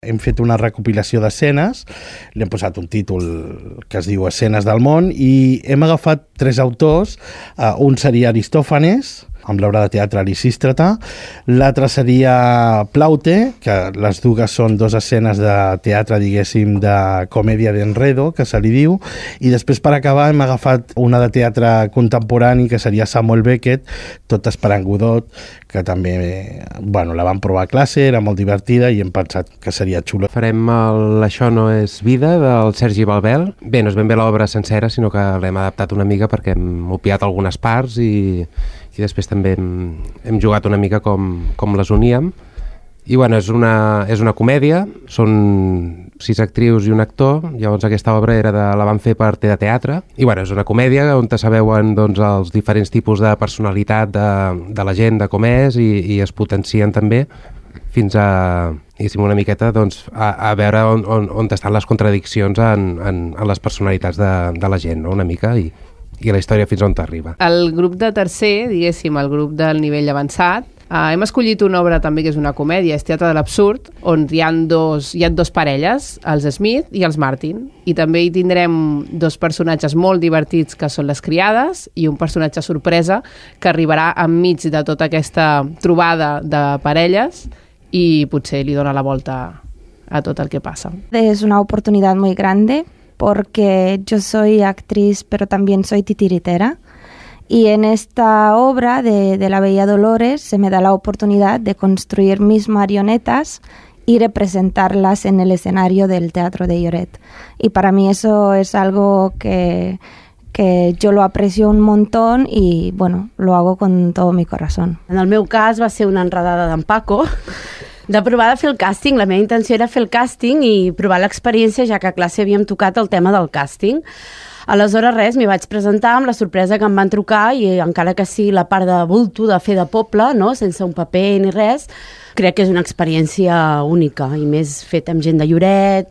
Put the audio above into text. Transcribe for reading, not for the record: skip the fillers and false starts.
Hem fet una recopilació d'escenes, li hem posat un títol que es diu Escenes del món i hem agafat 3 autors. Un seria Aristòfanes, amb l'obra de teatre Lisístrata, l'altre seria Plaute, que les dues són 2 escenes de teatre, diguéssim, de comèdia d'enredo, que se li diu, i després per acabar hem agafat una de teatre contemporani, que seria Samuel Beckett, Tot esperant Godot, que també, la vam provar a classe, era molt divertida i hem pensat que seria xulo. Farem Això no és vida, del Sergi Balbel. Bé, no és ben bé l'obra sencera, sinó que l'hem adaptat una mica perquè hem obviat algunes parts i després també hem jugat una mica com les uníem. I és una comèdia, són 6 actrius i un actor, llavors aquesta obra la van fer per Teatre, i és una comèdia on se veuen els diferents tipus de personalitat de la gent, de com és, i es potencien també fins a, una miqueta, a veure on estan les contradiccions en les personalitats de la gent, no? Una mica, i la història fins on t'arriba. El grup de tercer, diguéssim, el grup del nivell avançat, hem escollit una obra també que és una comèdia, és Teatre de l'Absurd, on hi ha 2 parelles, els Smith i els Martin, i també hi tindrem 2 personatges molt divertits que són les criades i un personatge sorpresa que arribarà enmig de tota aquesta trobada de parelles i potser li dona la volta a tot el que passa. Es una oportunidad muy grande porque yo soy actriz pero también soy titiritera. Y en esta obra de La Bella Dolores se me da la oportunidad de construir mis marionetas y representarlas en el escenario del Teatro de Lloret. Y para mí eso es algo que yo lo aprecio un montón y, lo hago con todo mi corazón. En el meu cas va ser una enredada d'en Paco, de provar de fer el càsting. La meva intenció era fer el càsting i provar l'experiència, ja que a classe havíem tocat el tema del càsting. Aleshores, m'hi vaig presentar amb la sorpresa que em van trucar i encara que sigui la part de bulto, de fer de poble, no? Sense un paper ni res, crec que és una experiència única i més fet amb gent de Lloret.